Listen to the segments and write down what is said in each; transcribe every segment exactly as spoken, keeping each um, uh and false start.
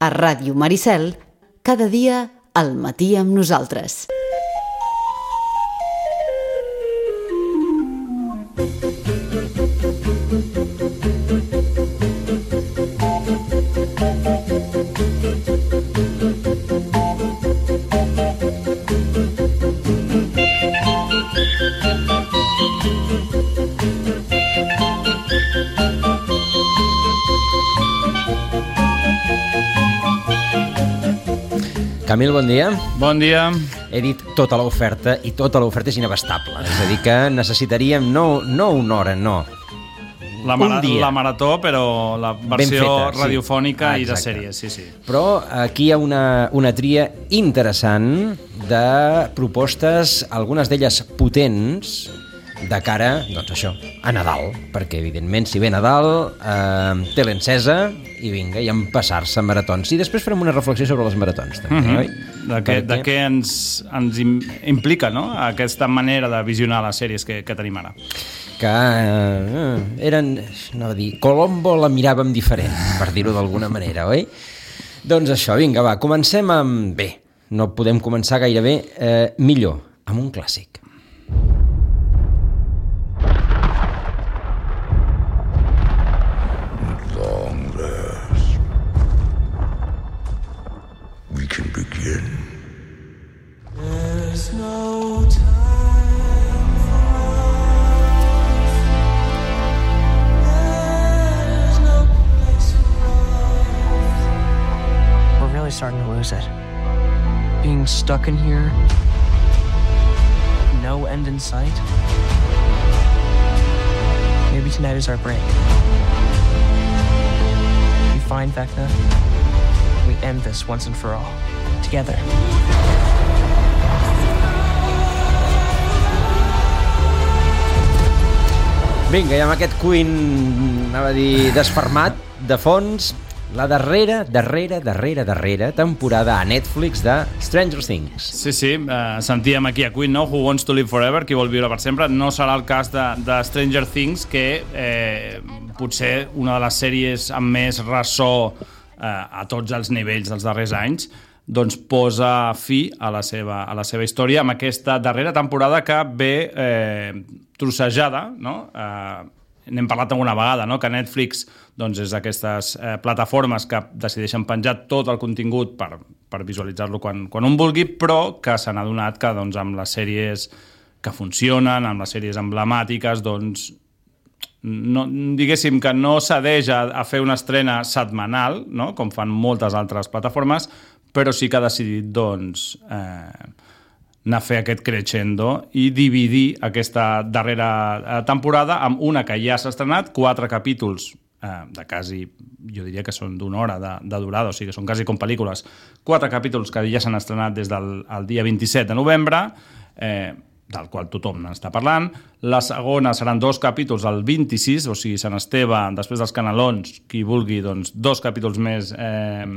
A Ràdio Maricel, cada dia al matí amb nosaltres. Camil, bon dia. Bon dia. He dit tota l'oferta i tota l'oferta és inabastable. És a dir, que necessitaríem no, no una hora, no. La, mara, la marató, però la versió feta, radiofònica sí. I de sèries, sí, sí. Però aquí hi ha una, una tria interessant de propostes, algunes d'elles potents, de cara, doncs això, a Nadal, perquè evidentment si ve Nadal, eh, té l'encesa i vinga, i empassar-se maratons. I després farem una reflexió sobre les maratons, també, mm-hmm. oi? De què, perquè... de què ens, ens implica, no?, aquesta manera de visionar les sèries que, que tenim ara. Que eh, eren, anava a dir, Colombo la miràvem diferent, per dir-ho d'alguna manera, oi? Doncs això, vinga, va, comencem amb... Bé, no podem començar gairebé eh, millor, amb un clàssic. Can begin. There's no time for us. There's no place for us. We're really starting to lose it. Being stuck in here, no end in sight. Maybe tonight is our break. We find Vecna. We end this once and for all, together. Vinga, i amb aquest Queen, anava a dir, desfermat, de fons, la darrera, darrera, darrera, darrera temporada a Netflix de Stranger Things. Sí, sí, eh, sentíem aquí a Queen, no? Who Wants to Live Forever, qui vol viure per sempre. No serà el cas de, de Stranger Things, que eh, potser una de les sèries amb més ressò a tots els nivells dels darrers anys, doncs posa fi a la seva, a la seva història amb aquesta darrera temporada que ve eh, trossejada, no? Eh, n'hem parlat alguna vegada, no? Que Netflix doncs, és d'aquestes eh, plataformes que decideixen penjar tot el contingut per, per visualitzar-lo quan, quan un vulgui, però que se n'ha adonat que doncs, amb les sèries que funcionen, amb les sèries emblemàtiques, doncs no, diguéssim que no cedeix a, a fer una estrena setmanal, no? Com fan moltes altres plataformes, però sí que ha decidit doncs, eh, anar a fer aquest crescendo i dividir aquesta darrera temporada amb una que ja s'ha estrenat, quatre capítols eh, de quasi, jo diria que són d'una hora de, de durada, o sigui que són quasi com pel·lícules, quatre capítols que ja s'han estrenat des del el dia vint-i-set de novembre, eh, del qual tothom n'està parlant. La segona seran dos capítols el vint-i-sis, o sigui, Sant Esteve, després dels Canelons, qui vulgui, doncs, dos capítols més eh,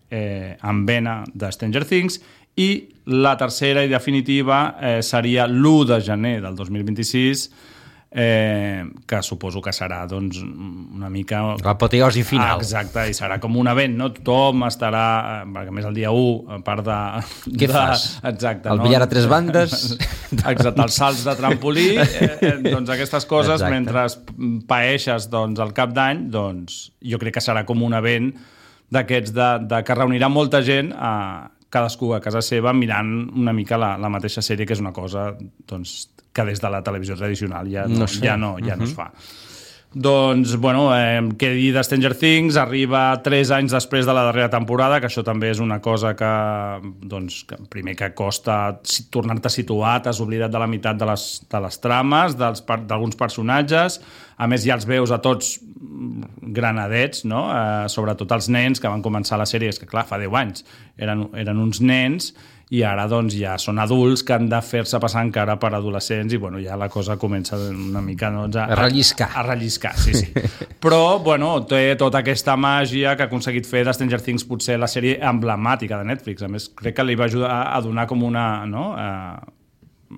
eh, amb vena de Stranger Things, i la tercera i definitiva eh, seria l'u de gener del dos mil vint-i-sis, eh, que suposo que serà doncs, una mica... l'apoteosi final. Ah, exacte, i serà com un event, no? Tothom estarà, perquè a més el dia u, a part de... Què de, fas? Exacte. El no? billar a tres bandes? Exacte, els salts de trampolí, eh, eh, doncs aquestes coses, exacte. Mentre paeixes doncs, el cap d'any, doncs jo crec que serà com un event d'aquests de, de, que reunirà molta gent a cadascú a casa seva mirant una mica la, la mateixa sèrie, que és una cosa doncs, que des de la televisió tradicional ja no, no, sé. ja no, ja uh-huh. no es fa. Doncs, bueno, eh, què dir de Stranger Things? Arriba tres anys després de la darrera temporada, que això també és una cosa que, doncs, que primer que costa tornar-te situat, t'has oblidat de la meitat de les, de les trames, d'alguns personatges, a més ja els veus a tots granadets, no? Eh, sobretot els nens que van començar la sèrie, és que clar, fa deu anys, eren, eren uns nens, i ara doncs ja són adults que han de fer-se passar encara per adolescents i bueno, ja la cosa comença una mica doncs, a, a relliscar. A, a relliscar, sí, sí. Però bueno, té tota aquesta màgia que ha aconseguit fer de Stranger Things potser la sèrie emblemàtica de Netflix. A més, crec que li va ajudar a donar com una... No? A,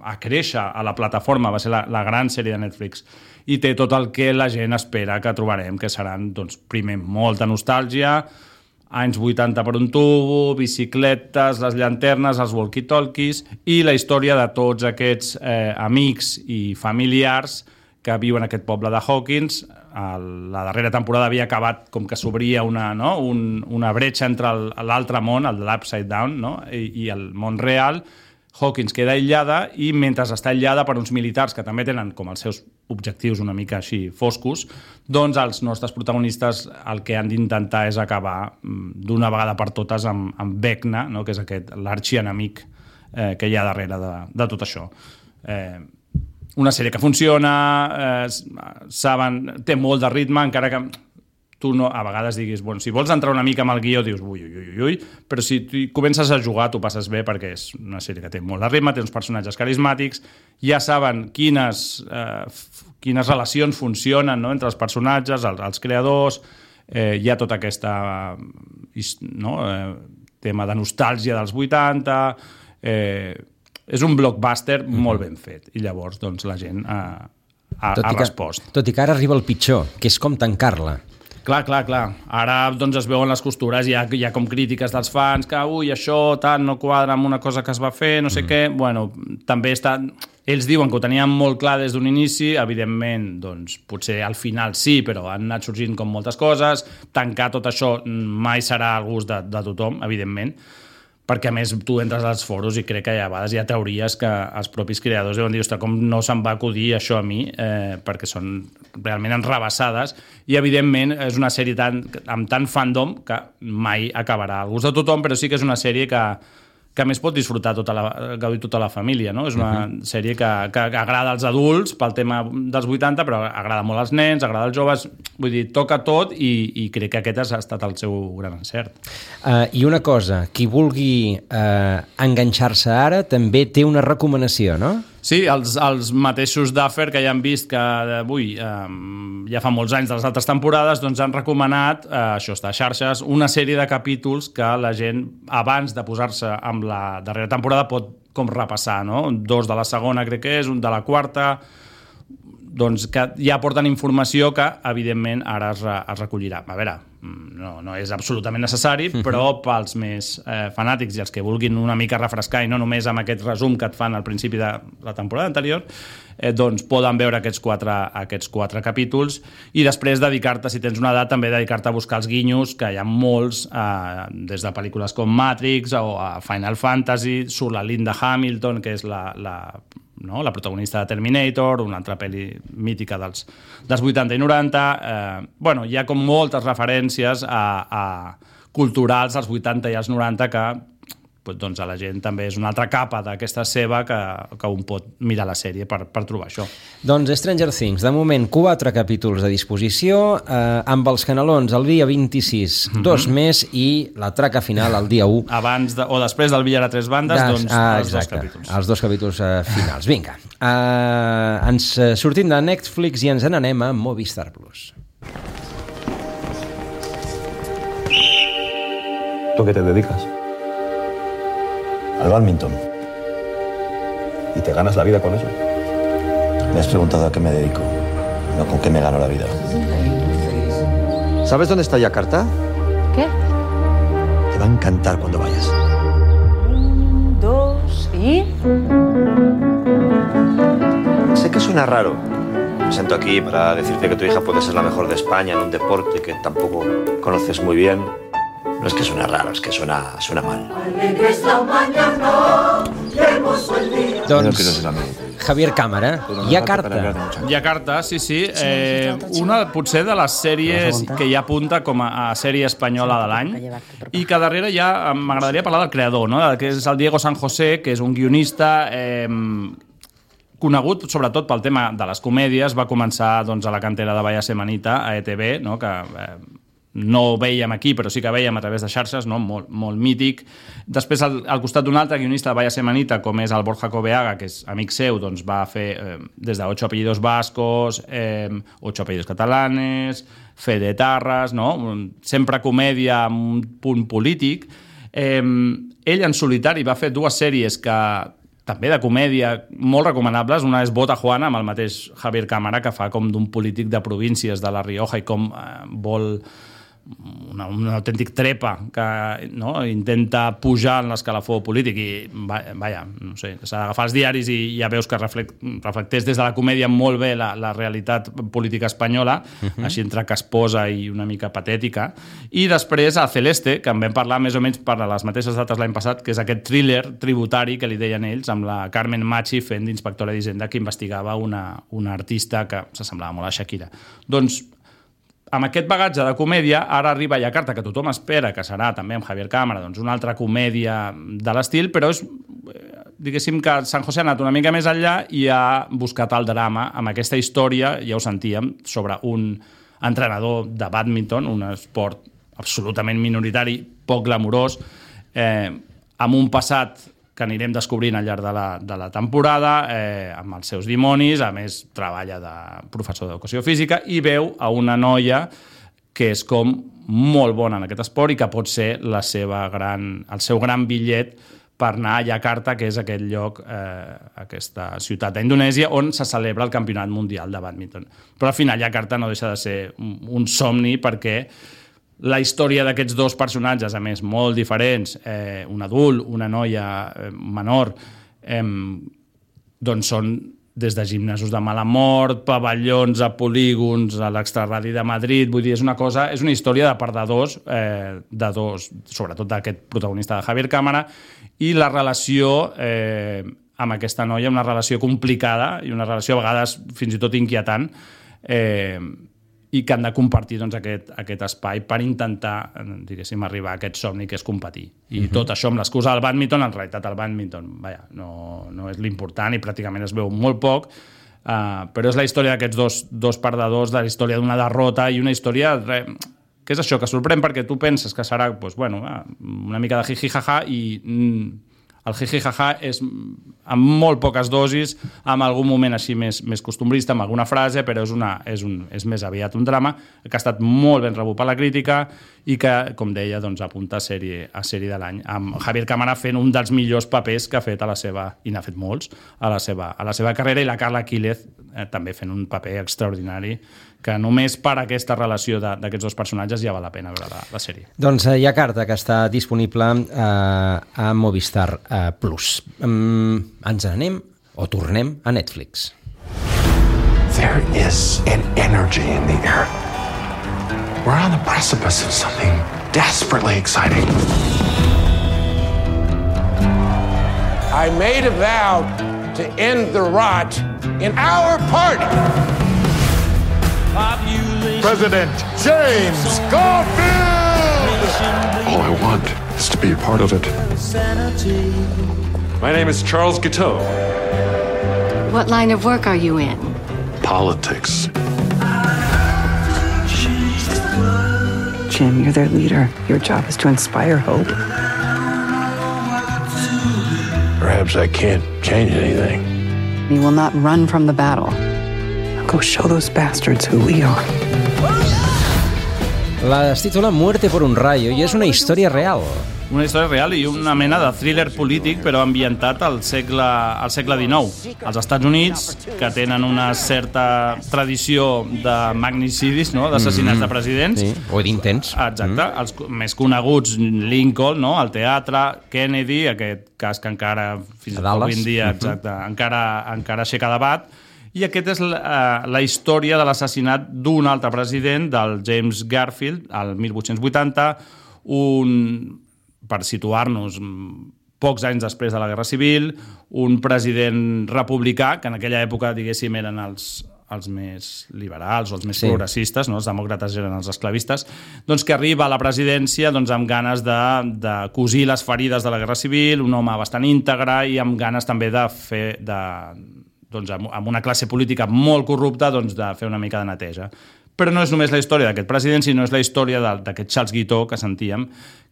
a créixer a la plataforma, va ser la, la gran sèrie de Netflix. I té tot el que la gent espera que trobarem, que seran, doncs, primer, molta nostàlgia, anys vuitanta per un tubo, bicicletes, les llanternes, els walkie-talkies i la història de tots aquests eh, amics i familiars que viuen en aquest poble de Hawkins. La darrera temporada havia acabat com que s'obria una, no? Un, una bretxa entre l'altre món, el de l'Upside Down, no? I, i el món real. Hawkins queda aïllada i mentre està aïllada per uns militars que també tenen com els seus objectius una mica així foscos, doncs els nostres protagonistes el que han d'intentar és acabar d'una vegada per totes amb, amb Vecna, no? Que és aquest l'arxienemic eh, que hi ha darrere de, de tot això. Eh, una sèrie que funciona, eh, saben, té molt de ritme, encara que tu no, a vegades diguis, bueno, si vols entrar una mica amb el guió, dius, ui, ui, ui, ui, però si tu comences a jugar, tu passes bé, perquè és una sèrie que té molt de ritme, té uns personatges carismàtics, ja saben quines, eh, quines relacions funcionen, no?, entre els personatges, els, els creadors, eh, hi ha tota aquesta no, eh, tema de nostàlgia dels vuitanta, eh, és un blockbuster mm-hmm. molt ben fet, i llavors doncs, la gent ha, ha, ha respost. Que, tot i que ara arriba el pitjor, que és com tancar-la. Clar, clar, clar. Ara doncs, es veuen les costures, hi ha, hi ha com crítiques dels fans, que ui, això tant no quadra amb una cosa que es va fer, no sé mm. què. Bueno, també està... Ells diuen que ho tenien molt clar des d'un inici, evidentment, doncs, potser al final sí, però han anat sorgint com moltes coses. Tancar tot això mai serà al gust de, de tothom, evidentment, perquè a més tu entres als foros i crec que a vegades hi ha teories que els propis creadors deuen dir, ostres, com no se'm va acudir això a mi, eh, perquè són realment enrabassades, i evidentment és una sèrie tan, amb tant fandom que mai acabarà al gust de tothom, però sí que és una sèrie que, que a més pot disfrutar tota la, gaudir tota la família, no? És una uh-huh. sèrie que, que agrada als adults pel tema dels vuitanta, però agrada molt als nens, agrada als joves, vull dir, toca tot i, i crec que aquest ha estat el seu gran encert. Uh, I una cosa, qui vulgui uh, enganxar-se ara també té una recomanació, no? Sí, els, els mateixos Duffer que ja han vist que ui, eh, ja fa molts anys de les altres temporades, doncs han recomanat, eh, això està a xarxes, una sèrie de capítols que la gent, abans de posar-se amb la darrera temporada, pot com repassar, no? Dos de la segona, crec que és, un de la quarta, doncs que ja porten informació que, evidentment, ara es, re, es recollirà. A veure, no, no és absolutament necessari, però pels més eh, fanàtics i els que vulguin una mica refrescar, i no només amb aquest resum que et fan al principi de la temporada anterior, eh, doncs poden veure aquests quatre, aquests quatre capítols i després dedicar-te, si tens una edat, també dedicar-te a buscar els guinyos, que hi ha molts, eh, des de pel·lícules com Matrix o a Final Fantasy, surt la Linda Hamilton, que és la... la no? la protagonista de Terminator, una altra pel·li mítica dels, dels vuitanta i noranta. Eh, bueno, hi ha com moltes referències a, a culturals als vuitanta i als noranta que doncs, a la gent també és una altra capa d'aquesta seva que, que un pot mirar la sèrie per, per trobar això. Doncs Stranger Things, de moment quatre capítols a disposició, eh, amb els canelons el dia vint-i-sis, mm-hmm. dos més, i la traca final el dia u. Abans de, o després del billar a tres bandes, Des, doncs ah, els exacte, dos capítols. Els dos capítols eh, finals. Vinga, eh, ens sortim de Netflix i ens n'anem a Movistar Plus. ¿Tú qué te dedicas? Al bádminton. ¿Y te ganas la vida con eso? Me has preguntado a qué me dedico, no con qué me gano la vida. ¿Sabes dónde está Yakarta? ¿Qué? Te va a encantar cuando vayas. Un, dos y... Sé que suena raro. Me siento aquí para decirte que tu hija puede ser la mejor de España en un deporte que tampoco conoces muy bien. No es que suene raro, es que suena, suena mal. Doncs, Javier Cámara, Yakarta. Yakarta, sí, sí. Eh, una, potser, de les sèries que ja apunta com a, a sèrie espanyola de l'any, i que darrere ja m'agradaria parlar del creador, no? Que és el Diego San José, que és un guionista eh, conegut sobretot pel tema de les comèdies. Va començar doncs, a la cantera de Vaya Semanita, a E T V, no? Que... Eh, no ho veiem aquí, però sí que veiem a través de xarxes, no? molt, molt mític. Després, al, al costat d'un altre guionista de Vaya Semanita, com és el Borja Coveaga, que és amic seu, doncs va fer eh, des de Ocho apellidos vascos, eh, Ocho apellidos catalanes, Fede Tarras, no? Sempre comèdia amb un punt polític. Eh, ell, en solitari, va fer dues sèries que també de comèdia molt recomanables. Una és Bota Juana, amb el mateix Javier Cámara, que fa com d'un polític de províncies de La Rioja i com eh, vol... una, un autèntic trepa que no, intenta pujar en l'escalafó polític i, vaja, no sé, s'ha d'agafar els diaris i ja veus que reflect, reflecteix des de la comèdia molt bé la, la realitat política espanyola, uh-huh. així entre casposa i una mica patètica. I després a Celeste, que en vam parlar més o menys per a les mateixes dates l'any passat, que és aquest thriller tributari que li deien ells, amb la Carmen Machi fent d'inspectora d'Hisenda que investigava una, una artista que s'assemblava molt a Shakira. Doncs amb aquest bagatge de comèdia, ara arriba Yakarta, que tothom espera que serà també amb Javier Cámara, doncs una altra comèdia de l'estil, però és, diguéssim que San José ha anat una mica més enllà i ha buscat el drama amb aquesta història, ja ho sentíem, sobre un entrenador de bàdminton, un esport absolutament minoritari, poc glamurós, eh, amb un passat que anirem descobrint al llarg de la, de la temporada, eh, amb els seus dimonis, a més treballa de professor d'educació física i veu a una noia que és com molt bona en aquest esport i que pot ser la seva gran, el seu gran bitllet per anar a Yakarta, que és aquest lloc, eh, aquesta ciutat d'Indonèsia, on se celebra el Campionat Mundial de Bàdminton. Però al final Yakarta no deixa de ser un, un somni perquè la història d'aquests dos personatges, a més, molt diferents, eh, un adult, una noia eh, menor, eh, doncs són des de gimnasos de mala mort, pavellons a polígons, a l'extraradi de Madrid, vull dir, és una cosa, és una història de perdedors, eh, de dos, sobretot d'aquest protagonista de Javier Cámara, i la relació eh, amb aquesta noia, una relació complicada i una relació a vegades fins i tot inquietant, eh, i que han de compartir doncs, aquest, aquest espai per intentar, diguéssim, arribar a aquest somni que és competir. I uh-huh. tot això amb l'excusa del bàdminton, en realitat el bàdminton vaja, no, no és l'important i pràcticament es veu molt poc, uh, però és la història d'aquests dos, dos perdedors, de la història d'una derrota i una història re, que és això, que sorprèn perquè tu penses que serà doncs, bueno, una mica de jiji-jaja i... Mm, el jiji-jaja és amb molt poques dosis, amb algun moment així més, més costumbrista, amb alguna frase, però és, una, és, un, és més aviat un drama que ha estat molt ben rebut per la crítica i que, com deia, doncs, apunta a sèrie, a sèrie de l'any, amb Javier Cámara fent un dels millors papers que ha fet a la seva, i n'ha fet molts, a la seva, a la seva carrera, i la Carla Quílez eh, també fent un paper extraordinari que només per aquesta relació d'aquests dos personatges ja val la pena veure la, la sèrie. Doncs hi ha Yakarta, que està disponible eh, a Movistar eh, Plus. Um, ens anem o tornem a Netflix. There is an energy in the air. We're on the precipice of something desperately exciting. I made a vow to end the rot in our party. President James Garfield! All I want is to be a part of it. My name is Charles Guiteau. What line of work are you in? Politics. Jim, you're their leader. Your job is to inspire hope. Perhaps I can't change anything. You will not run from the battle. Go show those bastards who we are. La es titula Muerte por un rayo i és una història real. Una història real i una mena de thriller polític, però ambientat al segle, al segle dinou. Als Estats Units, que tenen una certa tradició de magnicidis, no? D'assassinats mm-hmm. de presidents. Sí. O d'intents. Exacte. Mm. Els més coneguts, Lincoln, no? El teatre, Kennedy, aquest cas que encara, fins avui en dia, exacte, mm-hmm. encara, encara aixeca debat. I aquesta és la, la història de l'assassinat d'un altre president, del James Garfield, al mil vuit-cents vuitanta, un, per situar-nos pocs anys després de la Guerra Civil, un president republicà, que en aquella època, diguéssim, eren els, els més liberals o els més sí. progressistes, no? Els demòcrates eren els esclavistes, doncs que arriba a la presidència doncs, amb ganes de, de cosir les ferides de la Guerra Civil, un home bastant íntegre i amb ganes també de fer... De, doncs, amb una classe política molt corrupta, doncs, de fer una mica de neteja. Però no és només la història d'aquest president, sinó és la història d'aquest Charles Guiteau que sentíem,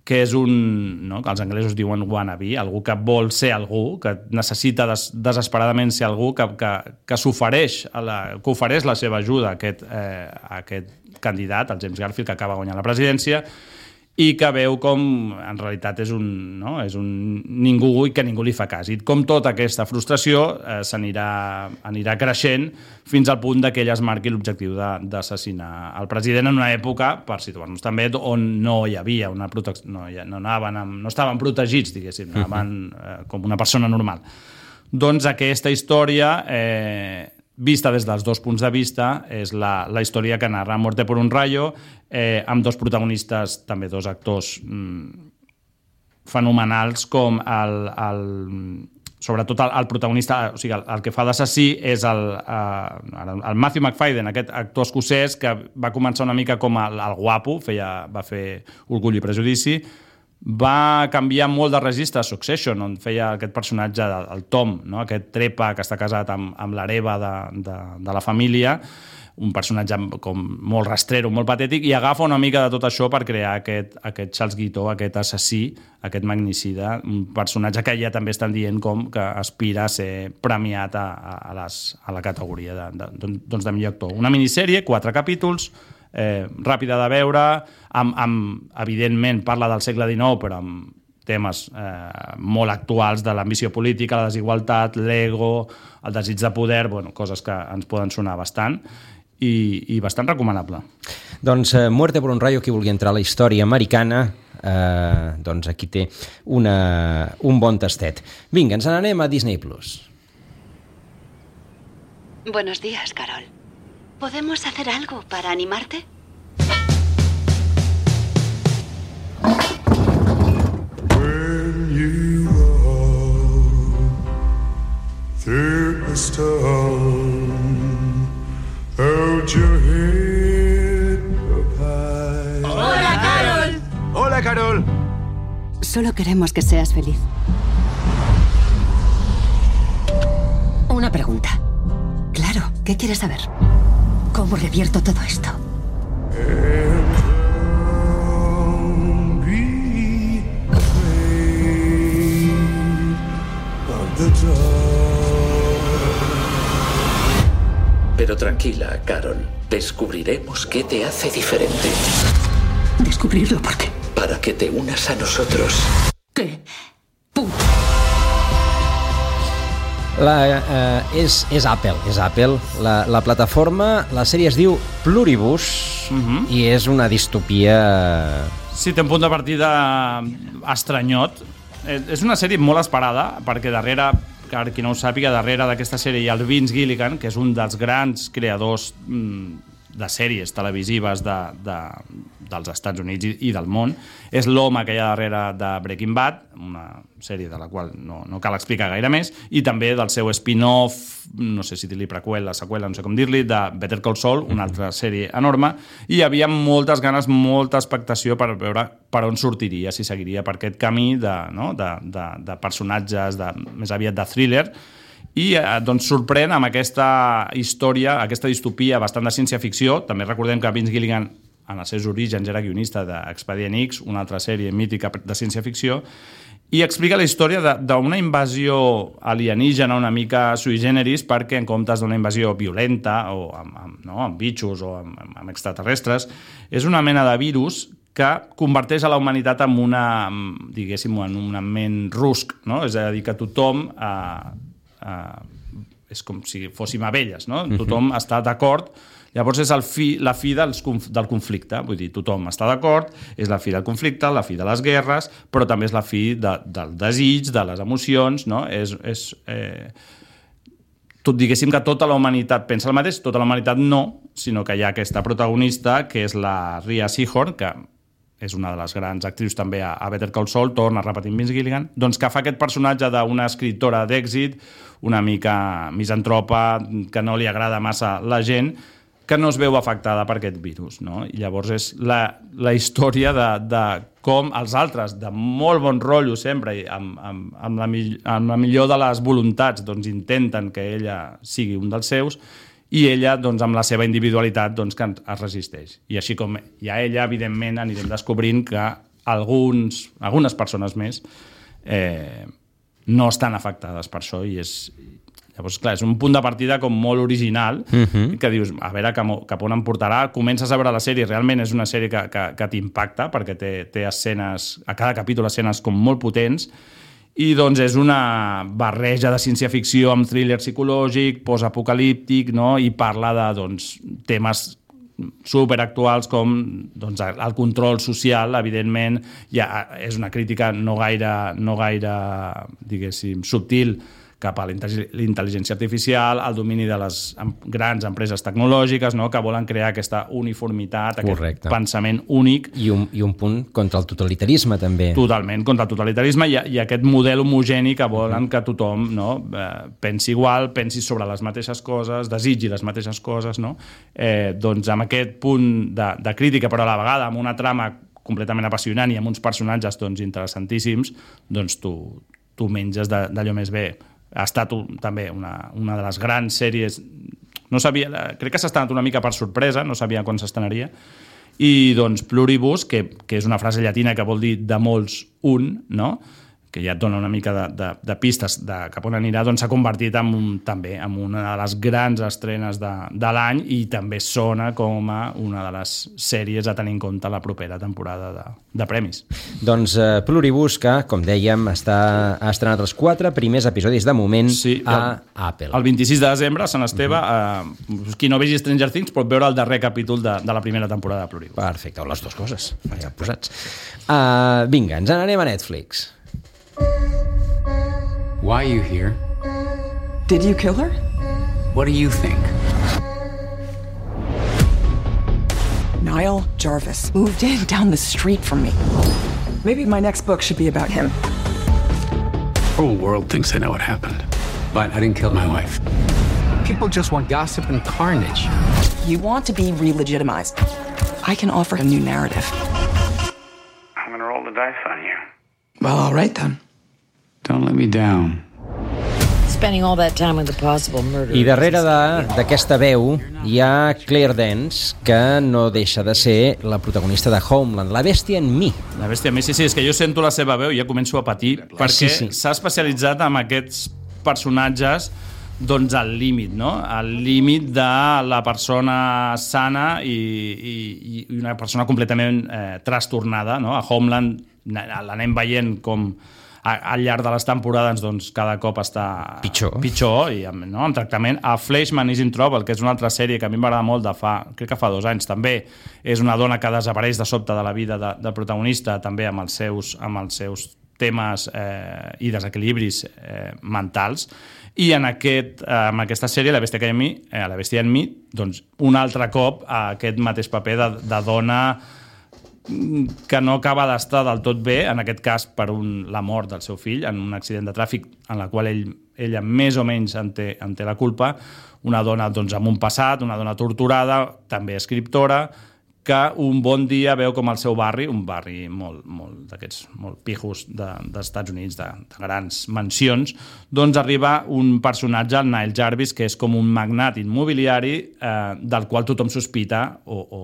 que és un, no, que els anglesos diuen wannabe, algú que vol ser algú, que necessita des, desesperadament ser algú, que, que, que s'ofereix, que ofereix la seva ajuda a aquest, eh, a aquest candidat, el James Garfield, que acaba guanyant la presidència, i que veu com en realitat és un, no? és un ningú i que ningú li fa cas. I com tota aquesta frustració eh, s'anirà anirà creixent fins al punt que ell es marqui l'objectiu d'assassinar el president en una època, per situar-nos també, on no hi havia una protecció, no, no, anaven amb, no estaven protegits, diguéssim, anaven eh, com una persona normal. Doncs aquesta història... Eh, vista des dels dos punts de vista, és la, la història que narra Muerte por un rayo, eh, amb dos protagonistes, també dos actors mm, fenomenals, com el, el, sobretot el, el protagonista, o sigui, el, el que fa d'assassí és el, eh, el Matthew Macfadyen, aquest actor escocès que va començar una mica com el, el guapo, feia, va fer Orgull i prejudici, va canviar molt de registre a Succession, on feia aquest personatge, el Tom, no? Aquest trepa que està casat amb, amb l'hereva de, de, de la família, un personatge com molt rastrero, molt patètic, i agafa una mica de tot això per crear aquest, aquest Charles Guiteau, aquest assassí, aquest magnicida, un personatge que ja també estan dient com que aspira a ser premiat a, a, les, a la categoria de, de, doncs de millor actor. Una minissèrie, quatre capítols, Eh, ràpida de veure, amb, amb, evidentment parla del segle dinou, però amb temes eh, molt actuals de l'ambició política, la desigualtat, l'ego, el desig de poder, bueno, coses que ens poden sonar bastant i, i bastant recomanable. Doncs eh, Muerte por un rayo, qui vulgui entrar a la història americana, eh, doncs aquí té una, un bon tastet. Vinga, ens n'anem a Disney Plus. Buenos días, Carol. ¿Podemos hacer algo para animarte? When you walk through the storm, hold your head up high. ¡Hola, Carol! ¡Hola, Carol! Solo queremos que seas feliz. Una pregunta. Claro, ¿qué quieres saber? ¿Cómo revierto todo esto? Pero tranquila, Carol. Descubriremos qué te hace diferente. ¿Descubrirlo por qué? Para que te unas a nosotros. ¿Qué? La, eh, és, és Apple, és Apple. La, la plataforma, la sèrie es diu Pluribus, uh-huh. i és una distopia... Sí, té un punt de partida estranyot. És una sèrie molt esperada, perquè darrere, per qui no ho sàpiga, darrere d'aquesta sèrie hi ha el Vince Gilligan, que és un dels grans creadors de sèries televisives de, de, dels Estats Units i, i del món. És l'home que hi ha darrere de Breaking Bad, una sèrie de la qual no, no cal explicar gaire més, i també del seu spin-off, no sé si dir-li preqüela, seqüela, no sé com dir-li, de Better Call Saul, una altra sèrie enorme, i hi havia moltes ganes, molta expectació per veure per on sortiria, si seguiria per aquest camí de, no? de, de, de personatges, de, més aviat de thriller, i eh, doncs sorprèn amb aquesta història, aquesta distopia bastant de ciència-ficció. També recordem que Vince Gilligan en els seus orígens era guionista d'Expedient X, una altra sèrie mítica de ciència-ficció, i explica la història d'una invasió alienígena una mica sui generis, perquè en comptes d'una invasió violenta o amb, amb, no, amb bitxos o amb, amb extraterrestres, és una mena de virus que converteix a la humanitat en una, diguéssim, en un ment rusc, no? És a dir, que tothom eh, eh, és com si fóssim abelles, no? Tothom uh-huh. està d'acord. Llavors és el fi, la fi dels, del conflicte, vull dir, tothom està d'acord, és la fi del conflicte, la fi de les guerres, però també és la fi de, del desig, de les emocions, no? És, és, eh, tot, diguéssim que tota la humanitat pensa el mateix, tota la humanitat no, sinó que hi ha aquesta protagonista, que és la Rhea Seehorn, que és una de les grans actrius també a, a Better Call Saul, torna repetint Vince Gilligan, doncs que fa aquest personatge d'una escriptora d'èxit, una mica misantropa, que no li agrada massa la gent, que no es veu afectada per aquest virus, no? I llavors és la, la història de, de com els altres, de molt bon rotllo sempre, i amb, amb, amb, la, amb la millor de les voluntats, doncs intenten que ella sigui un dels seus, i ella, doncs, amb la seva individualitat, doncs, que es resisteix. I així com hi ha ella, evidentment, anirem descobrint que alguns, algunes persones més eh, no estan afectades per això, i és, Llavors, clar, és un punt de partida com molt original, uh-huh. que dius, a veure cap, cap on em portarà, comences a veure la sèrie, realment és una sèrie que, que, que t'impacta, perquè té, té escenes, a cada capítol escenes com molt potents, i doncs és una barreja de ciència-ficció amb thriller psicològic, postapocalíptic, no? I parla de doncs, temes superactuals com doncs, el control social, evidentment, ja és una crítica no gaire, no gaire diguéssim, subtil cap a l'intel·ligència artificial, al domini de les grans empreses tecnològiques, no? Que volen crear aquesta uniformitat, Correcte. Aquest pensament únic. I un, I un punt contra el totalitarisme, també. Totalment, contra el totalitarisme i, i aquest model homogeni que volen que tothom, no? eh, pensi igual, pensi sobre les mateixes coses, desitgi les mateixes coses, no? Eh, doncs amb aquest punt de, de crítica, però a la vegada amb una trama completament apassionant i amb uns personatges doncs, interessantíssims, doncs tu, tu menges d'allò més bé. Ha estat un, també una, una de les grans sèries, no sabia, crec que s'ha estrenat una mica per sorpresa, no sabia quan s'estrenaria, i doncs pluribus, que, que és una frase llatina que vol dir de molts un, no? Que ja et dona una mica de, de, de pistes de cap on anirà, doncs s'ha convertit en un, també en una de les grans estrenes de, de l'any i també sona com a una de les sèries a tenir en compte la propera temporada de, de premis. Doncs uh, Pluribus, que, com dèiem, està, ha estrenat els quatre primers episodis de moment sí, a el, Apple. El vint-i-sis de desembre, Sant Esteve, uh-huh. uh, qui no vegi Stranger Things pot veure el darrer capítol de, de la primera temporada de Pluribus. Perfecte, o les dues coses, ja posats. Uh, vinga, ens n'anem a Netflix. Why are you here? Did you kill her? What do you think? Niall Jarvis moved in down the street from me. Maybe my next book should be about him. The whole world thinks they know what happened, but I didn't kill my wife. People just want gossip and carnage. You want to be re-legitimized. I can offer a new narrative. I'm gonna roll the dice on you. Well, all right then. Don't let me down. Spending all that time with the possible murder. I darrere d'aquesta veu hi ha Claire Danes, que no deixa de ser la protagonista de Homeland, la bèstia en mi. La bèstia en mi, sí, sí, és que jo sento la seva veu i ja començo a patir, perquè sí, sí. s'ha especialitzat en aquests personatges doncs al límit, no? Al límit de la persona sana i, i, i una persona completament eh, trastornada, no? A Homeland l'anem veient com al llarg de les temporades doncs, cada cop està pitjor, pitjor i amb, no, amb tractament. A Fleischman is in Trouble, que és una altra sèrie que a mi m'agrada molt de fa, crec que fa dos anys també, és una dona que desapareix de sobte de la vida de, del protagonista, també amb els seus, amb els seus temes eh, i desequilibris eh, mentals. I en, aquest, eh, en aquesta sèrie, La bèstia que hi ha en mi, eh, La bèstia en mi, doncs un altre cop a aquest mateix paper de, de dona que no acaba d'estar del tot bé, en aquest cas per un, la mort del seu fill en un accident de tràfic en la qual ell, ella més o menys en té, en té la culpa, una dona doncs, amb un passat, una dona torturada, també escriptora, que un bon dia veu com el seu barri, un barri molt, molt d'aquests molt pijos de, dels Estats Units, de, de grans mansions, doncs arriba un personatge, el Niall Jarvis, que és com un magnat immobiliari eh, del qual tothom sospita o, o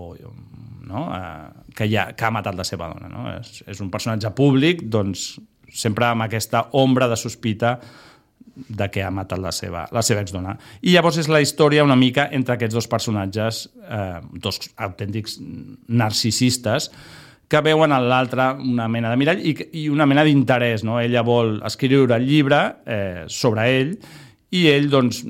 no? eh, que, ja, que ha matat la seva dona. No? És, és un personatge públic, doncs sempre amb aquesta ombra de sospita de que ha matat la seva, la seva exdona. I llavors és la història una mica entre aquests dos personatges, eh, dos autèntics narcisistes, que veuen en l'altre una mena de mirall i, i una mena d'interès. No? Ella vol escriure el llibre eh, sobre ell i ell, doncs,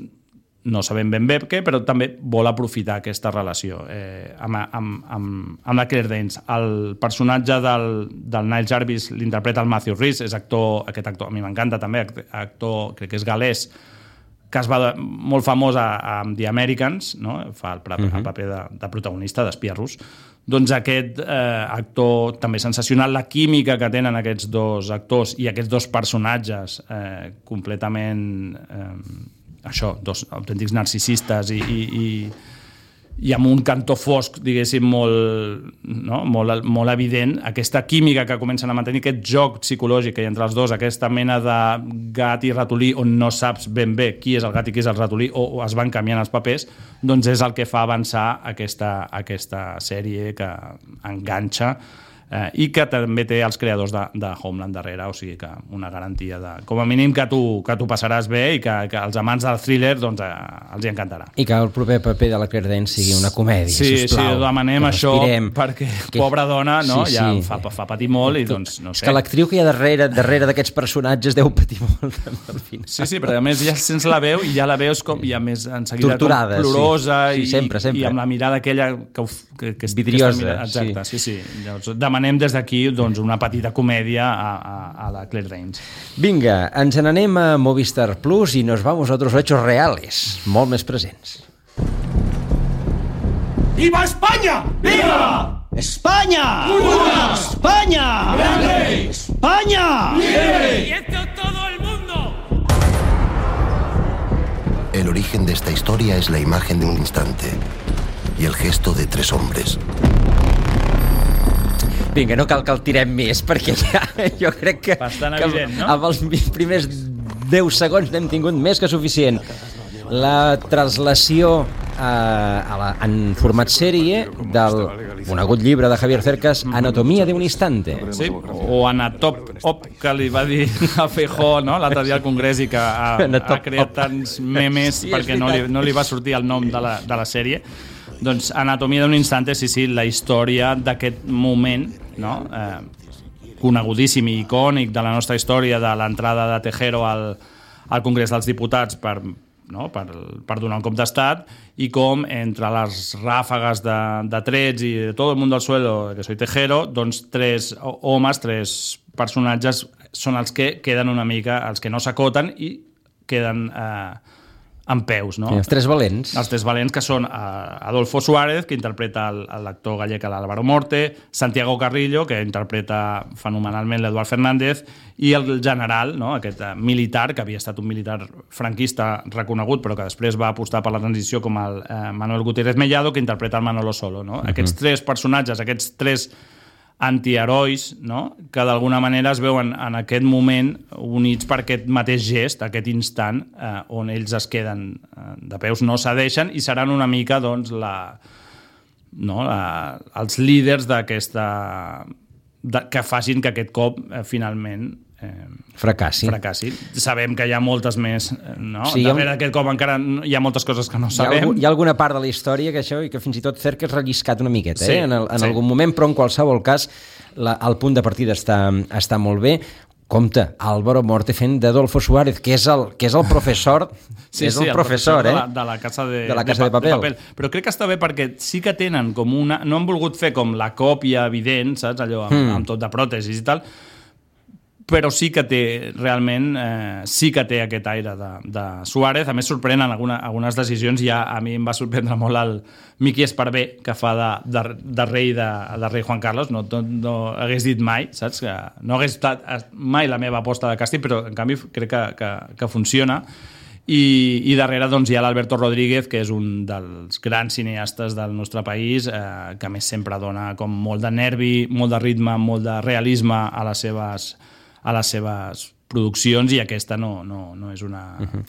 no sabem ben bé què, però també vol aprofitar aquesta relació eh, amb, amb, amb, amb la Claire Danes. El personatge del, del Niall Jarvis l'interpreta el Matthew Rhys, és actor, aquest actor a mi m'encanta també, actor, crec que és galès, que es va molt famós amb The Americans, no? Fa el, el paper de, de protagonista, d'espia rus. Doncs aquest eh, actor també sensacional, la química que tenen aquests dos actors i aquests dos personatges eh, completament... Eh, això, dos autèntics narcisistes i, i, i, i amb un cantó fosc, diguéssim, molt, no? molt, molt evident, aquesta química que comencen a mantenir, aquest joc psicològic que hi ha entre els dos, aquesta mena de gat i ratolí on no saps ben bé qui és el gat i qui és el ratolí, o, o es van canviant els papers, doncs és el que fa avançar aquesta, aquesta sèrie que enganxa eh, i que també té els creadors de, de Homeland darrere, o sigui que una garantia de, com a mínim que tu, que tu passaràs bé i que, que els amants del thriller doncs, eh, els hi encantarà. I que el proper paper de la Claire Danes sigui una comèdia, sí, sisplau. Sí, demanem això perquè que... pobra dona, no? Sí, sí. Ja fa, fa patir molt i doncs no sé. És que l'actriu que hi ha darrere darrere d'aquests personatges deu patir molt al final. Sí, sí, però a més ja sents la veu i ja la veus com i a més en seguida torturada, com plorosa sí. Sí, i, sempre, sempre. i amb la mirada aquella que, que, que vidriosa, que exacte, sí, sí. sí. Llavors, demanem des d'aquí doncs, una petita comèdia a, a, a la Claire Danes. Vinga, ens n'anem a Movistar Plus i nos vamos a otros hechos reales, molt més presents. ¡Viva España! ¡Viva! ¡España! ¡Viva! ¡España! ¡Grande! ¡España! ¡Vive! ¡Y esto todo el mundo! El origen de esta historia es la imagen de un instante y el gesto de tres hombres. Vinga, no cal que el tirem més, perquè ja, jo crec que, bastant que evident, no? amb els primers deu segons n'hem tingut més que suficient. La translació eh, a la, en format sèrie del conegut llibre de Javier Cercas, Anatomia de un instante. Sí, o Anatop Op, que li va dir a Feijóo, no?, l'altre dia al Congrés i que ha, ha creat tants memes sí, perquè no li, no li va sortir el nom de la, de la sèrie. Doncs Anatomia d'un instante, sí, sí, la història d'aquest moment, no?, eh, conegudíssim i icònic de la nostra història, de l'entrada de Tejero al, al Congrés dels Diputats per, no?, per, per donar un cop d'estat, i com entre les ràfegues de, de trets i de tot el món del suelo, que soy Tejero, doncs tres homes, tres personatges són els que queden una mica, els que no s'acoten i queden eh, en peus, no? Sí, els tres valents. Els tres valents, que són uh, Adolfo Suárez, que interpreta l'actor gallec l'Álvaro Morte, Santiago Carrillo, que interpreta fenomenalment l'Eduard Fernández, i el general, no?, aquest uh, militar, que havia estat un militar franquista reconegut, però que després va apostar per la transició, com el uh, Manuel Gutiérrez Mellado, que interpreta el Manolo Solo, no? Uh-huh. Aquests tres personatges, aquests tres antiherois, no?, que d'alguna manera es veuen en aquest moment units per aquest mateix gest, aquest instant, eh, on ells es queden eh, de peus, no cedeixen, i seran una mica, doncs, la, no, la, els líders d'aquesta... De, que facin que aquest cop, eh, finalment, eh, fracassi. fracassi. Sabem que hi ha moltes més, no? Sí, darrere d'aquest cop encara hi ha moltes coses que no sabem. Hi ha, hi ha alguna part de la història que això, i que fins i tot Cercas ha relliscat una miqueta, sí, eh? en, el, en sí. algun moment, però en qualsevol cas la, el punt de partida està, està molt bé. Compte, Álvaro Morte fent d'Adolfo Suárez, que és el, que és el professor, sí, és sí, el professor, el professor eh? de, la, de la Casa de, de, la casa de, de, papel. de Papel. Però crec que està bé perquè sí que tenen com una... No han volgut fer com la còpia evident, saps? Allò amb, hmm. amb tot de pròtesis i tal, però sí que té, realment, eh, sí que té aquest aire de, de Suárez. A més, sorprenen alguna, algunes decisions. Ja a mi em va sorprendre molt el Miqui Esparvé, que fa de, de, de, rei de, de rei Juan Carlos. No, no, no hagués dit mai, saps? Que no hagués estat mai la meva aposta de càsting, però en canvi crec que, que, que funciona. I, i darrere doncs, hi ha l'Alberto Rodríguez, que és un dels grans cineastes del nostre país, eh, que a més sempre dona com molt de nervi, molt de ritme, molt de realisme a les seves... a les seves produccions, i aquesta no, no, no és una... Uh-huh.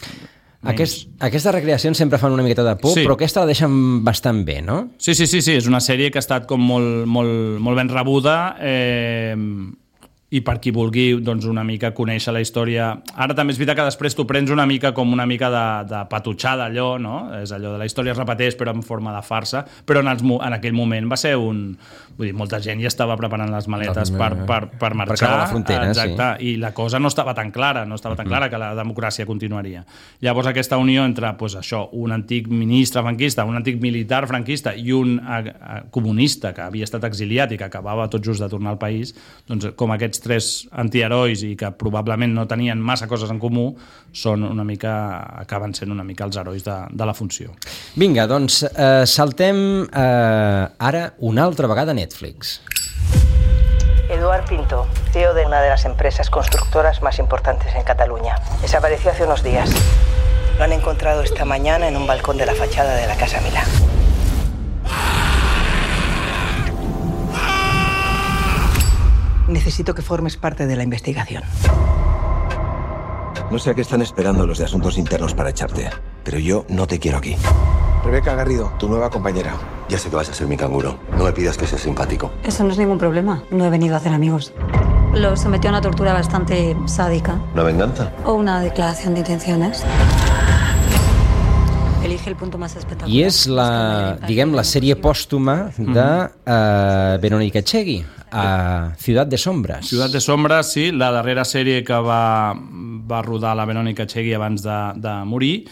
Aquest, aquestes recreacions sempre fan una miqueta de por, sí. Però aquesta la deixen bastant bé, no? Sí, sí, sí, sí, és una sèrie que ha estat com molt, molt, molt ben rebuda, eh, i per qui vulgui doncs, una mica conèixer la història. Ara també és veritat que després tu prens una mica com una mica de, de patutxar d'allò, no? És allò de la història es repeteix però en forma de farsa, però en, els, en aquell moment va ser un... Vull dir, molta gent ja estava preparant les maletes per, per, per marxar. Per creuar la frontera, exacte, sí. I la cosa no estava tan clara, no estava tan clara que la democràcia continuaria. Llavors aquesta unió entre pues, això, un antic ministre franquista, un antic militar franquista i un a, a, comunista que havia estat exiliat i que acabava tot just de tornar al país, doncs com aquests tres antiherois i que probablement no tenien massa coses en comú, són una mica, acaben sent una mica els herois de, de la funció. Vinga, doncs eh, saltem eh, ara una altra vegada a Netflix. Eduard Pinto, C E O de una de las empresas constructoras más importantes en Cataluña. Desapareció hace unos días. Lo han encontrado esta mañana en un balcón de la fachada de la Casa Milà. Necesito que formes parte de la investigación. No sé a qué están esperando los de Asuntos Internos para echarte, pero yo no te quiero aquí. Rebeca Garrido, tu nueva compañera. Ya sé que vas a ser mi canguro. No me pidas que seas simpático. Eso no es ningún problema. No he venido a hacer amigos. Lo sometió a una tortura bastante sádica. ¿Una venganza? O una declaración de intenciones. Elige el punto más espectacular. I és la, diguem, la sèrie pòstuma de uh, Verónica Echegui, a Ciudad de Sombras. Ciudad de Sombras, sí, la darrera sèrie que va, va rodar la Verónica Echegui abans de, de morir.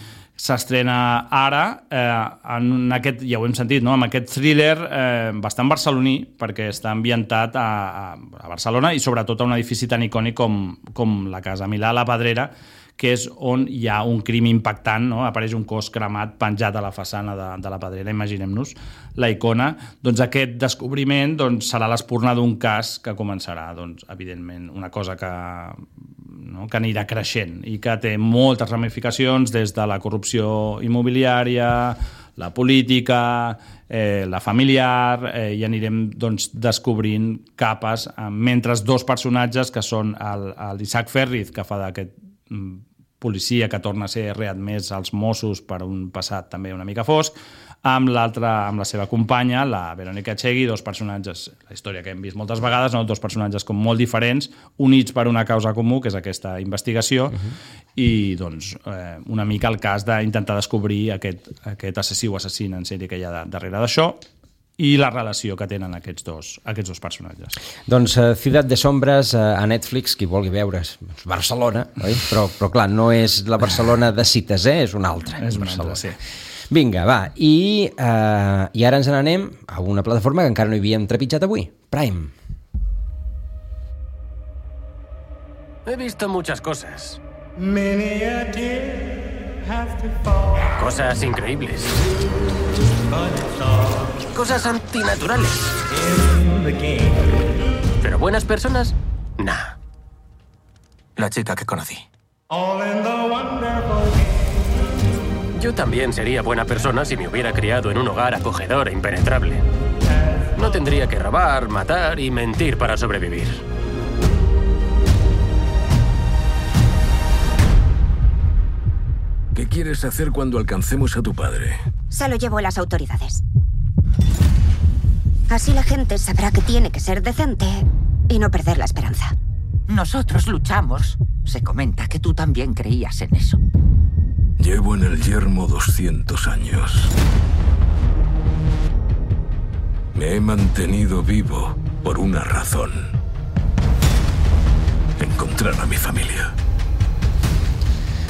S'estrena ara, eh, en aquest, ja ho hem sentit, no? Amb aquest thriller eh, bastant barceloní, perquè està ambientat a, a, a Barcelona i sobretot a un edifici tan icònic com, com la Casa Milà, la Pedrera, que és on hi ha un crim impactant, no? Apareix un cos cremat penjat a la façana de, de la Pedrera, imaginem-nos la icona. Doncs aquest descobriment doncs, serà l'espurna d'un cas que començarà, doncs, evidentment, una cosa que, no? que anirà creixent i que té moltes ramificacions des de la corrupció immobiliària, la política, eh, la familiar, eh, i anirem doncs, descobrint capes, eh, mentre dos personatges que són l'Isaac Ferriz, que fa d'aquest policia que torna a ser readmès als Mossos per un passat també una mica fosc, amb l'altra, amb la seva companya, la Verónica Echegui, dos personatges, la història que hem vist moltes vegades, no? Dos personatges com molt diferents, units per una causa comú, que és aquesta investigació, uh-huh. i doncs eh, una mica el cas d'intentar descobrir aquest, aquest assassí o assassina en sèrie que hi ha darrere d'això, i la relació que tenen aquests dos, aquests dos personatges. Doncs uh, Ciudad de Sombras uh, a Netflix, qui vulgui veure, és Barcelona, oi? Però, però clar, no és la Barcelona de cites, eh? És una altra. És una altra, sí. Vinga, va, i, uh, i ara ens n'anem a una plataforma que encara no hi havíem trepitjat avui, Prime. He visto muchas cosas. Cosas increíbles. Cosas antinaturales. Pero buenas personas, nah. La chica que conocí. Yo también sería buena persona si me hubiera criado en un hogar acogedor e impenetrable. No tendría que robar, matar y mentir para sobrevivir. ¿Qué quieres hacer cuando alcancemos a tu padre? Se lo llevo a las autoridades. Así la gente sabrá que tiene que ser decente y no perder la esperanza. Nosotros luchamos. Se comenta que tú también creías en eso. Llevo en el yermo doscientos años. Me he mantenido vivo por una razón. Encontrar a mi familia.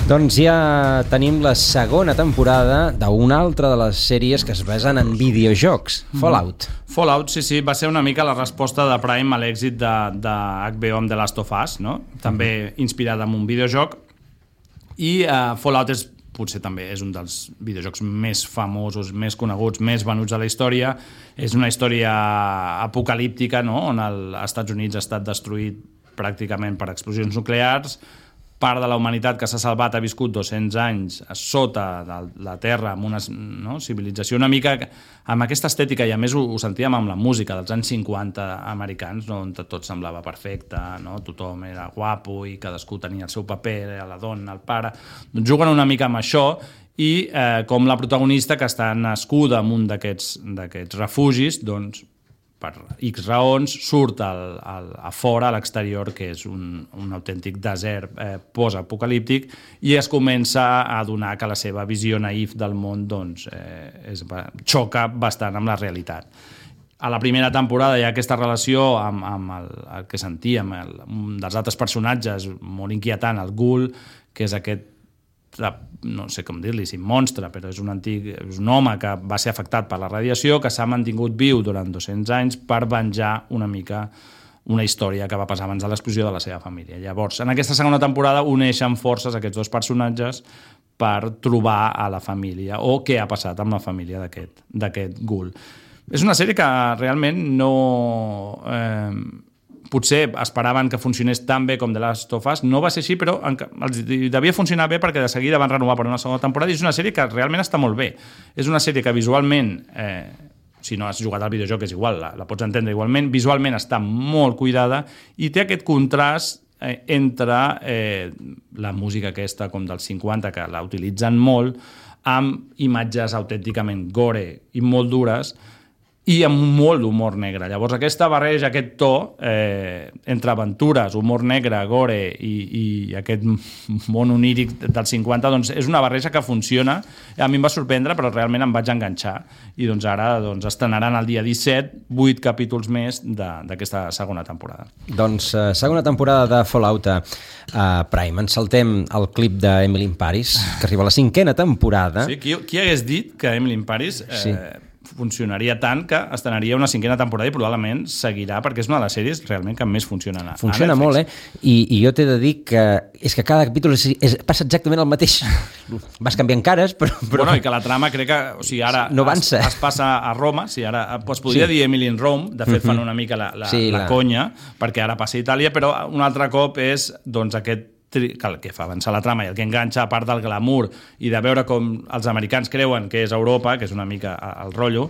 Doncs ja tenim la segona temporada d'una altra de les sèries que es basen en videojocs, Fallout. Mm. Fallout, sí, sí, va ser una mica la resposta de Prime a l'èxit de, de H B O amb The Last of Us, no? També mm-hmm. inspirat en un videojoc. I uh, Fallout és, potser també és un dels videojocs més famosos, més coneguts, més venuts de la història. És una història apocalíptica, no? On els Estats Units ha estat destruït pràcticament per explosions nuclears. Part de la humanitat que s'ha salvat ha viscut dos-cents anys sota de la Terra amb una, no, civilització una mica amb aquesta estètica, i a més ho, ho sentíem amb la música dels anys cinquanta americans, no, on tot semblava perfecte, no? Tothom era guapo i cadascú tenia el seu paper, la dona, el pare. Doncs juguen una mica amb això i eh, com la protagonista, que està nascuda en un d'aquests d'aquests refugis, doncs per X raons, surt al, al, a fora, a l'exterior, que és un, un autèntic desert eh, post-apocalíptic, i es comença a adonar que la seva visió naïf del món doncs, eh, és, xoca bastant amb la realitat. A la primera temporada hi ha aquesta relació amb, amb el, el que sentíem, el, un dels altres personatges molt inquietant, el Ghoul, que és aquest, no sé com dir-li, si monstre, però és un antic, és un home que va ser afectat per la radiació, que s'ha mantingut viu durant dos-cents anys per venjar una mica una història que va passar abans de l'explosió de la seva família. Llavors, en aquesta segona temporada uneixen forces aquests dos personatges per trobar a la família, o què ha passat amb la família d'aquest d'aquest Ghoul. És una sèrie que realment no... Eh, potser esperaven que funcionés tan bé com The Last of Us, no va ser així, però els devia funcionar bé perquè de seguida van renovar per una segona temporada, i és una sèrie que realment està molt bé. És una sèrie que visualment, eh, si no has jugat al videojoc és igual, la, la pots entendre igualment, visualment està molt cuidada i té aquest contrast eh, entre eh, la música aquesta com dels cinquanta, que la utilitzen molt, amb imatges autènticament gore i molt dures, i amb molt d'humor negre. Llavors aquesta barreja, aquest to eh, entre aventures, humor negre, gore i, i aquest món oníric dels cinquanta, doncs és una barreja que funciona. A mi em va sorprendre, però realment em vaig enganxar, i doncs ara doncs, estrenaran el dia disset vuit capítols més d'aquesta segona temporada. Doncs uh, segona temporada de Fallout a uh, Prime. Ens saltem el clip d'Emily in Paris, que arriba a la cinquena temporada. Sí, qui, qui hagués dit que Emily in Paris eh, sí. funcionaria tant que estrenaria una cinquena temporada i probablement seguirà, perquè és una de les sèries realment que més funciona. Funciona molt, eh? I, i jo t'he de dir que és que cada capítol és, és, passa exactament el mateix. Vas canviant cares, però... però... Bueno, i que la trama crec que... O sigui, ara no avança. Es, es passa a Roma, si ara es podria sí. dir Emily in Rome, de fet mm-hmm. fan una mica la, la, sí, la, la conya, perquè ara passa a Itàlia, però un altre cop és doncs aquest que el que fa avançar la trama i el que enganxa, a part del glamour i de veure com els americans creuen que és Europa, que és una mica el rotllo,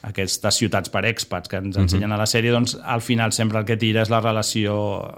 aquestes ciutats per expats que ens ensenyen a la sèrie, doncs al final sempre el que tira és la relació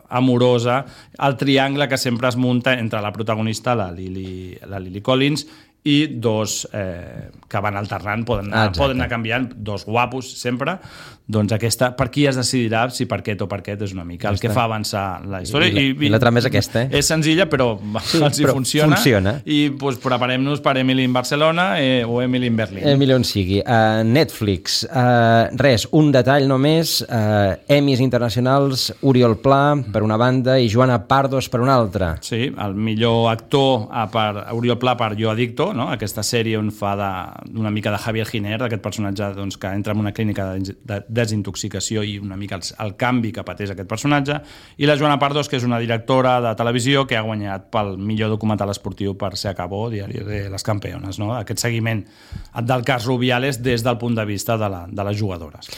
amorosa, el triangle que sempre es munta entre la protagonista, la Lily, la Lily Collins, i dos eh, que van alternant, poden anar, ah, poden anar canviant, dos guapos sempre, doncs aquesta, per qui es decidirà si per aquest o per aquest és una mica el que fa avançar la història. I, i, i la trama és aquesta, eh? És senzilla, però sí, els hi però funciona, funciona. I pues, preparem-nos per Emily in Barcelona eh, o Emily in Berlín. Emily on sigui. Uh, Netflix, uh, res, un detall només, uh, Emmys internacionals, Oriol Pla per una banda i Joana Pardos per una altra. Sí, el millor actor a per Oriol Pla per Jo Adicto, no? Aquesta sèrie on fa de, una mica de Javier Giner, d'aquest personatge doncs, que entra en una clínica de, de desintoxicació i una mica el, el canvi que pateix aquest personatge, i la Joana Pardos, que és una directora de televisió que ha guanyat pel millor documental esportiu per Se Acabó, Diari de les Campeones, no? Aquest seguiment del cas Rubiales des del punt de vista de, la, de les jugadores.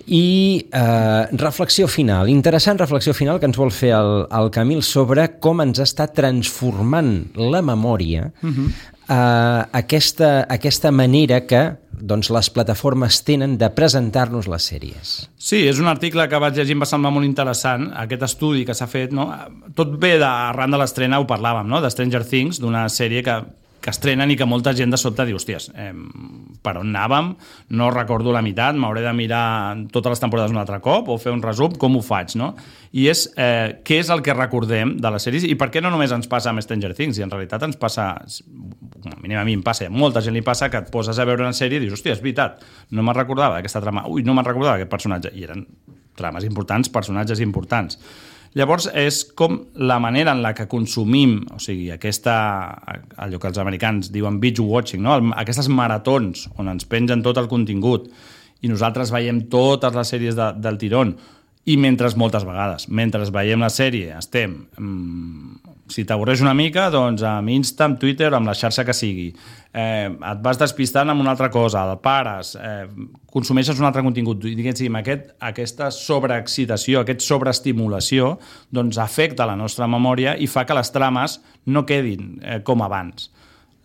I eh, reflexió final, interessant reflexió final que ens vol fer el, el Camil sobre com ens està transformant la memòria uh-huh. eh, aquesta, aquesta manera que doncs, les plataformes tenen de presentar-nos les sèries. Sí, és un article que vaig llegir, em va semblar molt interessant, aquest estudi que s'ha fet, no? Tot ve d'arran de l'estrena, ho parlàvem, no? De Stranger Things, d'una sèrie que que estrenen i que molta gent de sobte diu, hòsties, eh, per on anàvem? No recordo la meitat, m'hauré de mirar totes les temporades un altre cop o fer un resum, com ho faig, no? I és eh, què és el que recordem de les sèries i per què no només ens passa amb Stranger Things, i en realitat ens passa, a mi, a mi em passa, a molta gent li passa que et poses a veure una sèrie i dius, hòstia, és veritat, no me'n recordava d'aquesta trama, ui, no me'n recordava d'aquest personatge, i eren trames importants, personatges importants. Llavors, és com la manera en la que consumim, o sigui, aquesta, allò que els americans diuen binge watching, no? Aquestes maratons on ens pengen tot el contingut i nosaltres veiem totes les sèries de, del tirón, i mentre moltes vegades, mentre veiem la sèrie, estem... Mmm, si t'avorreix una mica, doncs amb Insta, amb Twitter, amb la xarxa que sigui. Eh, et vas despistant amb una altra cosa, el pares, eh, consumeixes un altre contingut, i diguéssim, aquest, aquesta sobreexcitació, aquesta sobreestimulació, doncs afecta la nostra memòria i fa que les trames no quedin eh, com abans.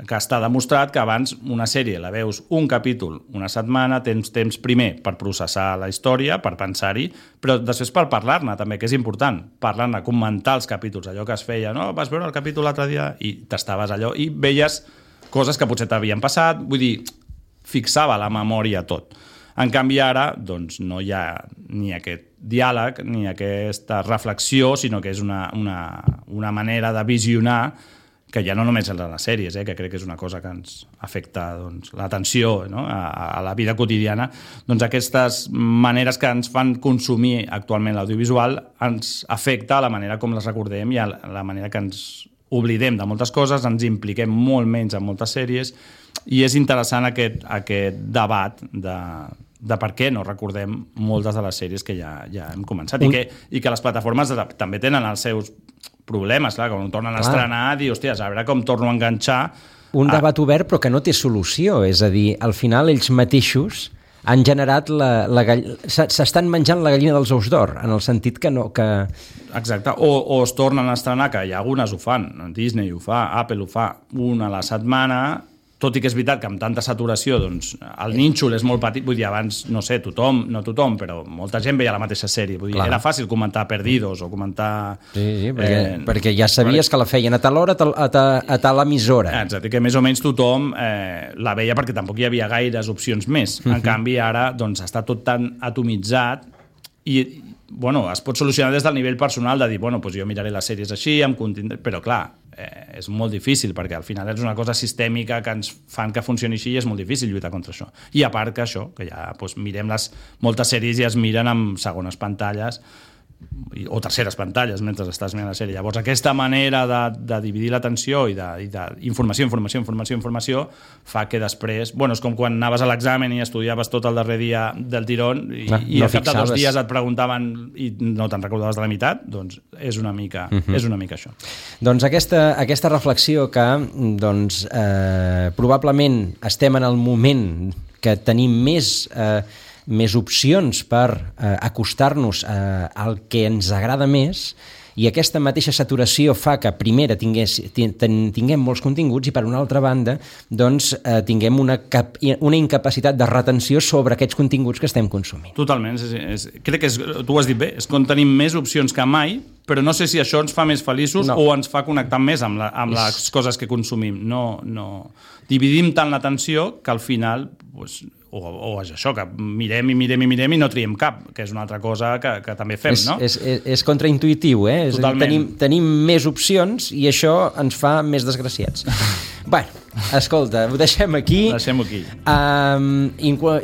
Que està demostrat que abans una sèrie la veus un capítol una setmana, tens temps primer per processar la història, per pensar-hi, però després per parlar-ne també, que és important, parlar-ne, comentar els capítols, allò que es feia, no? Vas veure el capítol l'altre dia i t'estaves allò i veies coses que potser t'havien passat, vull dir, fixava la memòria tot. En canvi ara, doncs, no hi ha ni aquest diàleg ni aquesta reflexió, sinó que és una, una, una manera de visionar que ja no només en les sèries, eh, que crec que és una cosa que ens afecta doncs, l'atenció, no? a, a la vida quotidiana, doncs aquestes maneres que ens fan consumir actualment l'audiovisual ens afecta a la manera com les recordem i a la manera que ens oblidem de moltes coses, ens impliquem molt menys en moltes sèries, i és interessant aquest, aquest debat de, de per què no recordem moltes de les sèries que ja, ja hem començat, i que, i que les plataformes també tenen els seus problemes, clar, quan ho tornen a estrenar, dir, hòsties, a veure com torno a enganxar. Un debat obert però que no té solució, és a dir, al final ells mateixos han generat la, la gall... s'estan menjant la gallina dels ous d'or, en el sentit que no... Que... Exacte, o, o es tornen a estrenar, que hi ha algunes ho fan, Disney ho fa, Apple ho fa, una a la setmana, tot i que és veritat que amb tanta saturació, doncs, el nínxol és molt petit, vull dir, abans, no sé, tothom, no tothom, però molta gent veia la mateixa sèrie, vull dir, Clar. era fàcil comentar Perdidos o comentar... Sí, sí, perquè, eh, perquè ja sabies que la feien a tal hora, a tal, a tal, a tal emissora. Exacte, que més o menys tothom eh, la veia perquè tampoc hi havia gaires opcions més. En uh-huh. canvi, ara, doncs, està tot tan atomitzat i, bueno, es pot solucionar des del nivell personal de dir, bueno, doncs jo miraré les sèries així, em contindré... però clar, eh, és molt difícil perquè al final és una cosa sistèmica que ens fan que funcioni així i és molt difícil lluitar contra això. I a part que això, que ja doncs, mirem les moltes sèries i es miren amb segones pantalles o terceres pantalles mentre estàs mirant la sèrie. Llavors aquesta manera de, de dividir l'atenció i d'informació, informació, informació, informació fa que després, bueno, és com quan anaves a l'examen i estudiaves tot el darrer dia del tirón i, no, i al cap de dos dies et preguntaven i no te'n recordaves de la meitat, doncs és una mica, uh-huh. és una mica això. Doncs aquesta, aquesta reflexió que doncs, eh, probablement estem en el moment que tenim més eh, més opcions per eh, acostar-nos eh, al que ens agrada més, i aquesta mateixa saturació fa que primera tingués, tinguem molts continguts i per una altra banda doncs, eh, tinguem una, cap, una incapacitat de retenció sobre aquests continguts que estem consumint. Totalment, és, és, crec que és, tu ho has dit bé, és quan tenim més opcions que mai, però no sé si això ens fa més feliços no. o ens fa connectar més amb, la, amb les coses que consumim. No, no. Dividim tant l'atenció que al final... Pues, O, o és això, que mirem i mirem i mirem i no triem cap, que és una altra cosa que, que també fem, és, no? És, és, és contraintuitiu, eh? És dir, tenim, tenim més opcions i això ens fa més desgraciats. Bueno, escolta, ho deixem aquí. Deixem-ho aquí. Um,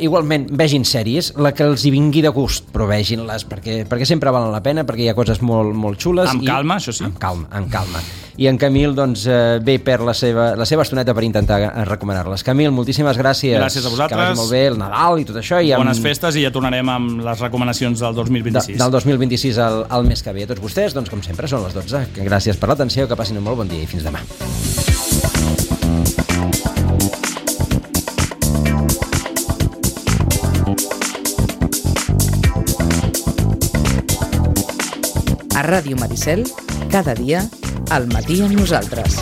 igualment, vegin sèries, la que els hi vingui de gust, però vegin-les, perquè, perquè sempre valen la pena, perquè hi ha coses molt, molt xules. Amb i, calma, això sí. Amb calma, amb calma. I en Camil, doncs, eh, ve per la seva, la seva estoneta per intentar recomanar-les. Camil, moltíssimes gràcies. Gràcies a vosaltres. Que vagi molt bé el Nadal i tot això. I amb... Bones festes i ja tornarem amb les recomanacions del dos mil vint-i-sis. De, del dos mil vint-i-sis al, al mes que ve. A tots vostès, doncs, com sempre, són les dotze. Gràcies per l'atenció, que passin un molt bon dia i fins demà. A Ràdio Maricel, cada dia, al matí amb nosaltres.